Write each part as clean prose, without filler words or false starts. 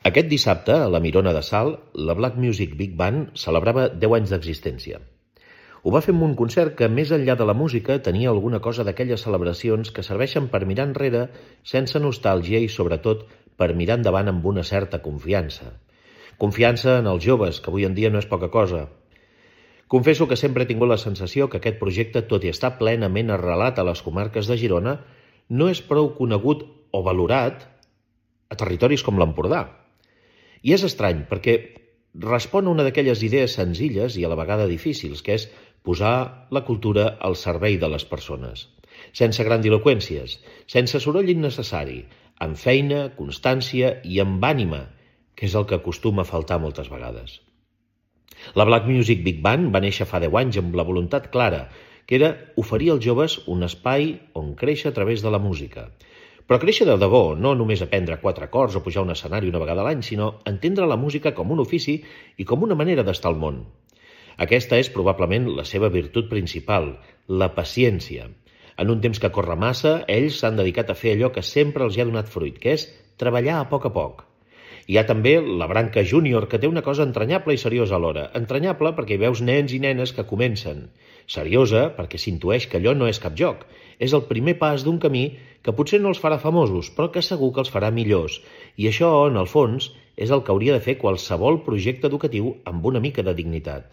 Aquest dissabte, a la Mirona de Salt, la Black Music Big Band celebrava 10 anys d'existència. Ho va fer amb un concert que, més enllà de la música, tenia alguna cosa d'aquelles celebracions que serveixen per mirar enrere sense nostàlgia i, sobretot, per mirar endavant amb una certa confiança. Confiança en els joves, que avui en dia no és poca cosa. Confesso que sempre he tingut la sensació que aquest projecte, tot i estar plenament arrelat a les comarques de Girona, no és prou conegut o valorat a territoris com l'Empordà. I és estrany, perquè respon a una d'aquelles idees senzilles i a la vegada difícils, que és posar la cultura al servei de les persones. Sense grandiloqüències, sense soroll innecessari, amb feina, constància i amb ànima, que és el que acostuma a faltar moltes vegades. La Black Music Big Band va néixer fa 10 anys amb la voluntat clara, que era oferir als joves un espai on créixer a través de la música. Però créixer de debò, no només aprendre 4 acords o pujar a un escenari una vegada a l'any, sinó entendre la música com un ofici i com una manera d'estar al món. Aquesta és probablement la seva virtut principal, la paciència. En un temps que corre massa, ells s'han dedicat a fer allò que sempre els hi ha donat fruit, que és treballar a poc. Hi ha també la branca júnior, que té una cosa entranyable i seriosa alhora. Entranyable perquè hi veus nens i nenes que comencen. Seriosa perquè s'intueix que allò no és cap joc. És el primer pas d'un camí que potser no els farà famosos, però que segur que els farà millors. I això, en el fons, és el que hauria de fer qualsevol projecte educatiu amb una mica de dignitat.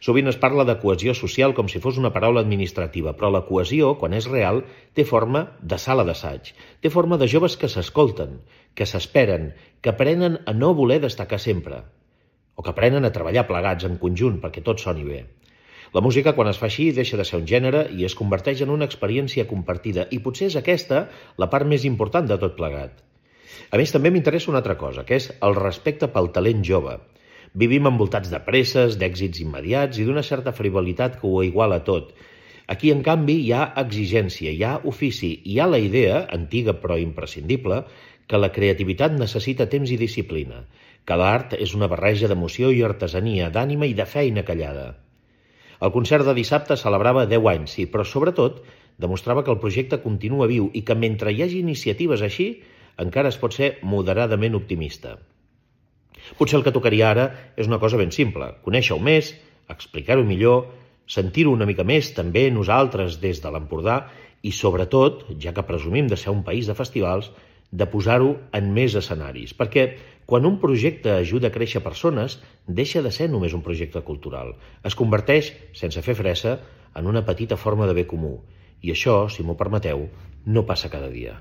Sovint es parla de cohesió social com si fos una paraula administrativa, però la cohesió, quan és real, té forma de sala d'assaig, té forma de joves que s'escolten, que s'esperen, que aprenen a no voler destacar sempre, o que aprenen a treballar plegats en conjunt perquè tot soni bé. La música, quan es fa així, deixa de ser un gènere i es converteix en una experiència compartida, i potser és aquesta la part més important de tot plegat. A més, també m'interessa una altra cosa, que és el respecte pel talent jove. Vivim envoltats de presses, d'èxits immediats i d'una certa frivolitat que ho iguala tot. Aquí, en canvi, hi ha exigència, hi ha ofici, hi ha la idea, antiga però imprescindible, que la creativitat necessita temps i disciplina, que l'art és una barreja d'emoció i artesania, d'ànima i de feina callada. El concert de dissabte celebrava 10 anys, sí, però sobretot demostrava que el projecte continua viu i que mentre hi hagi iniciatives així, encara es pot ser moderadament optimista. Potser el que tocaria ara és una cosa ben simple, conèixer-ho més, explicar-ho millor, sentir-ho una mica més també nosaltres des de l'Empordà i sobretot, ja que presumim de ser un país de festivals, de posar-ho en més escenaris, perquè quan un projecte ajuda a créixer persones, deixa de ser només un projecte cultural. Es converteix, sense fer fressa, en una petita forma de bé comú. I això, si m'ho permeteu, no passa cada dia.